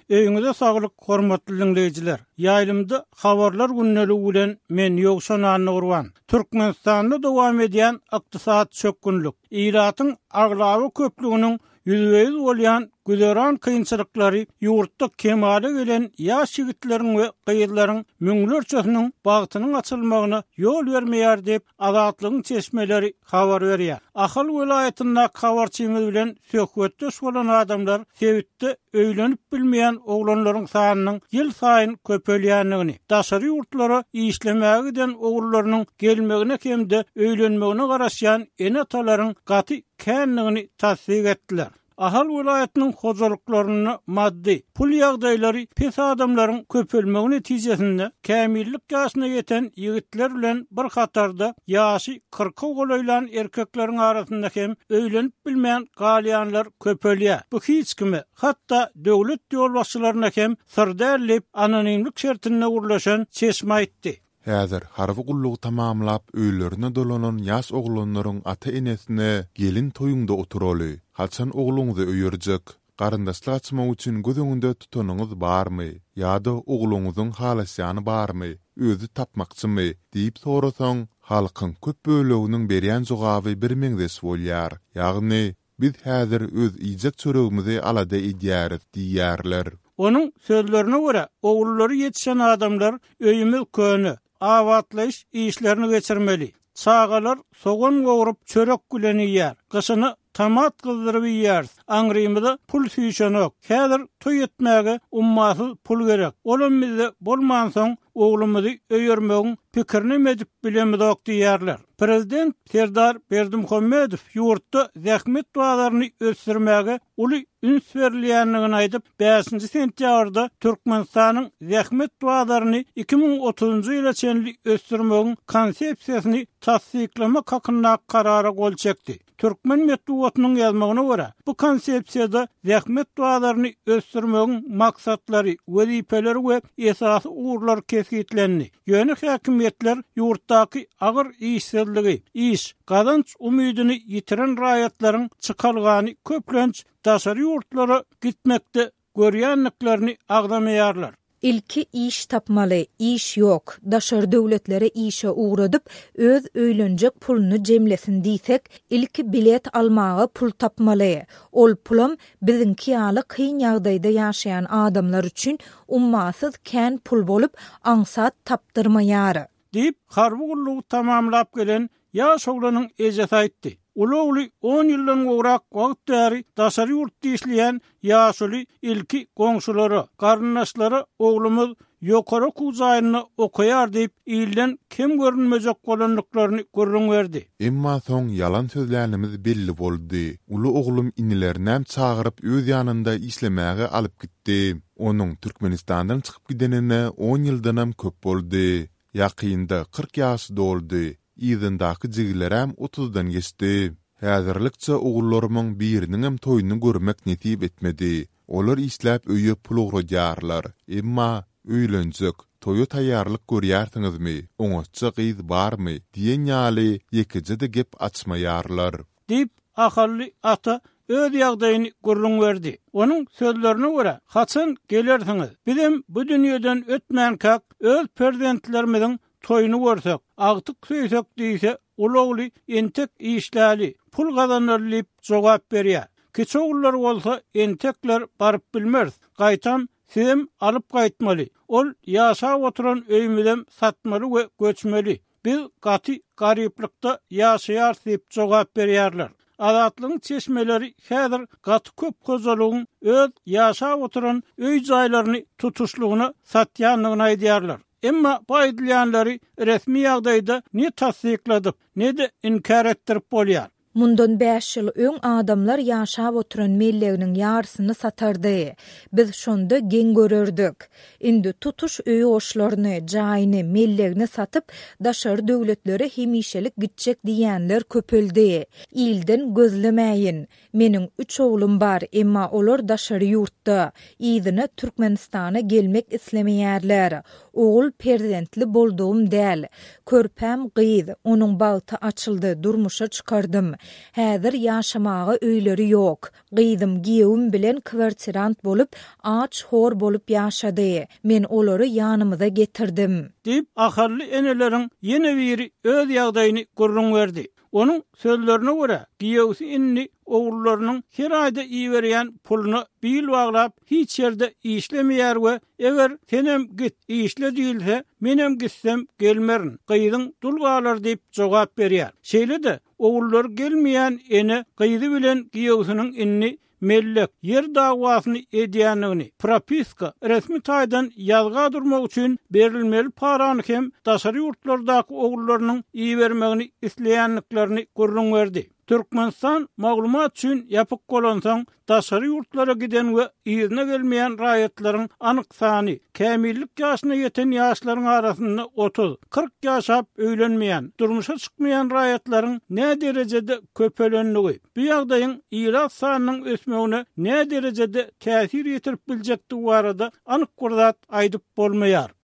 Öýüňize saglyk hormatly diňleýjiler! Ýaýlymda Habarlar gündeligi bilen men Ýowşan Annagurban. Türkmenistanda dowam edýän ykdysady çökgünlik, ilatyň aglaba köplüginiň ýüzbe-ýüz bolýan güzeran kynçylyklary ýurtda kemala gelen ýaş ýigitleriň we gyzlaryň müňlerçesiniň bagtynyň açylmagyna ýol bermeýär diýip, Azatlygyň çeşmeleri habar berýär. Ahal welaýatyndaky habarçymyz bilen söhbetdeş bolan adamlar sebitde öýlenip bilmeýän oglanlaryň sanynyň ýylsaýyn köpelýändigini, daşary ýurtlara işlemäge giden ogullarynyň gelmegine hem-de öýlenmegine garaşýan ene-atalaryň gaty kändigini tassyk etdiler. Ahal welaýatynyň hojalyklarynda maddy, pul ýagdaýlary pes adamlaryň köpelmegi netijesinde, kämillik ýaşyna ýeten ýigitler bilen bir hatarda ýaşy kyrka golaýlan erkekleriň arasynda hem öýlenip bilmän galýanlar köpelýär. Bu hiç kime, hatda döwlet ýolbaşçylaryna hem syr däl diýip, anonimlik şertinde gürleşen çeşme aýtdy. Häzir harby gullugy tamamlap, öýlerine dolanan ýaş oglanlaryň ata-enesine Gelin toýuňda oturaly, haçan ogluňyzy öýerjek? Garyndaşlyk açmak üçin göz öňünde tutanyňyz barmy? Ýa-da ogluňyzyň halaşýany barmy, özi tapmakçymy? diýip sorasaň, halkyň köp böleginiň berýän jogaby birmeňzeş bolýar. Ýagny, Biz häzir öz iýjek çöregimizi alada edýäris diýýärler. Onuň sözlerine görä, ogullary ýetişen adamlar öýümiz köne, abatlaýyş işlerini geçirmeli. Çagalar sogan gowrup çörek bilen iýýär. Gyşyna tomat gyzdyryp iýýäris. Aňrymyza pul süýşenok. Häzir toý etmäge ummasyz pul gerek. Olam bizde bolmansoň, oglumyzy öýermegiň pikirinem edip bilemizok diýýärler. Prezident Serdar Berdimuhamedow ýurtda zähmet bazaryny ösdürmäge uly üns berilýändigini aýdyp, bäşinji sentýabrda Türkmenistanyň zähmet bazaryny 2030-njy ýyla çenli ösdürmegiň Konsepsiýasyny tassyklamak hakyndaky Karara gol çekdi. Türkmen metbugatynyň ýazmagyna görä, bu Konsepsiýada zähmet bazaryny ösdürmegiň maksatlary, wezipeleri we esasy ugurlary kesgitlendi. Ýöne häkimiýetler ýurtdaky agyr işsizligi, iş, gazanç umydyny ýitiren raýatlaryň çykalgany köplenç daşary ýurtlara gitmekde görýändiklerini agzamaýarlar. Ilki iş tapmaly, iş ýok, daşary döwletlere işe ugradyp, öz öýlenjek puluny jemlesin diýsek, ilki bilet almaga pul tapmaly. Ol pulam Biziňki ýaly kyn ýagdaýda ýaşaýan adamlar üçin ummasyz kän pul bolup, aňsat tapdyrmaýar. Diýip, harby gullugy tamamlap gelen ýaş oglanyň ejesi aýtdy. Uly ogly on ýyldan gowrak wagt bäri daşary ýurtda işleýän ýaşuly ilki goňşulara, garyndaşlara oglumyz ýokary okuw jaýynda okaýar diýip, ilden kem görünmejek bolandyklaryny gürrüň berdi. Emma soň ýalan sözlänimiz belli boldy. Uly oglum inilerinem çagyryp öz ýanynda işlemäge alyp gitdi. Onuň Türkmenistandan çykyp gidenine on ýyldanam köp boldy. Ýakynda 40 ýaşy doldy. Yzyndaky jigilerem otuzdan geçdi. Häzirlikçe ogullarymyň biriniňem toýuny görmek nesip etmedi. Olar işläp öýe pul ugradýarlar. Emma, Öýlenjek, toýa taýýarlyk görýärsiňizmi, oňatja gyz barmy? diýen ýaly ýekeje-de gep açmaýarlar. Diýip, ahally ata öz ýagdaýyny gürrüň berdi. Onuň sözlerine görä, Haçan gelersiňiz? Bizem bu dünýeden ötmänkäk öz perzentlerimiziň toýuny görsek, agtyk söýsek diýse, uly ogly entek işläli, pul gazanaly diýip jogap berýär. Kiçi ogullary bolsa entekler baryp bilmeris, gaýtam sizem alyp gaýtmaly, ol ýaşap oturan öýümizem satmaly we göçmeli, biz gaty garyplykda ýaşaýarys diýip jogap berýärler. Azatlygyň çeşmeleri häzir gaty köp hojalygyň öz ýaşap oturan öý-jaýlaryny tutuşlygyna satýandygyny aýdýarlar. Emma bu aýdylýanlary resmi ýagdaýda ne tassykladyp, ne-de inkär etdirip bolýar. Mundan bäş ýyl öň adamlar ýaşap oturan melleginiň ýarysyny satardy. Biz şonda geň görerdik. Indi tutuş öý goşlaryny, jaýyny, mellegini satyp, daşary döwletlere hemişelik gitjek diýýänler köpeldi. Ilden gözlemäýin. Meniň üç oglum bar, emma olar daşary ýurtda. Yzyna Türkmenistana gelmek islemeýärler. Ogul perzentli boldugym däl. Körpäm gyz, onuň bagty açyldy, durmuşa çykardym. Häzir ýaşamaga öýleri ýok. Gyzym giýewim bilen kwartirant bolup, aç-hor bolup ýaşady. Men olary ýanymyza getirdim. Diýip, ahally eneleriň ýene biri öz ýagdaýyny gürrüň berdi. Onuň sözlerine görä, giýewsi indi ogullarynyň her aýda iberýän puluna bil baglap, hiç ýerde işlemeýär we eger senem git, işle diýilse, menem gitsem gelmerin, gyzyň dul galar diýip jogap berýär. Şeýle-de, ogullary gelmeýän ene gyzy bilen giýewsiniň indi mellek, ýer dawasyny edýändigini, propiska, resmi taýdan ýazga durmak üçin berilmeli parany hem daşary ýurtlardaky ogullarynyň ibermegini isleýändiklerini gürrüň berdi. Türkmenistan maglumat üçin ýapyk bolansoň, daşary ýurtlara giden we yzyna gelmeýän raýatlaryň anyk sany, kämillik ýaşyna ýeten ýaşlaryň arasynda 30, 40 ýaşap öýlenmeýän, durmuşa çykmaýan raýatlaryň näderejede köpelendigi, Bu ýagdaýyň ilat sanynyň ösmegine näderejede täsir ýetirip biljekdigi barada anyk bir zat aýdyp bolmaýar.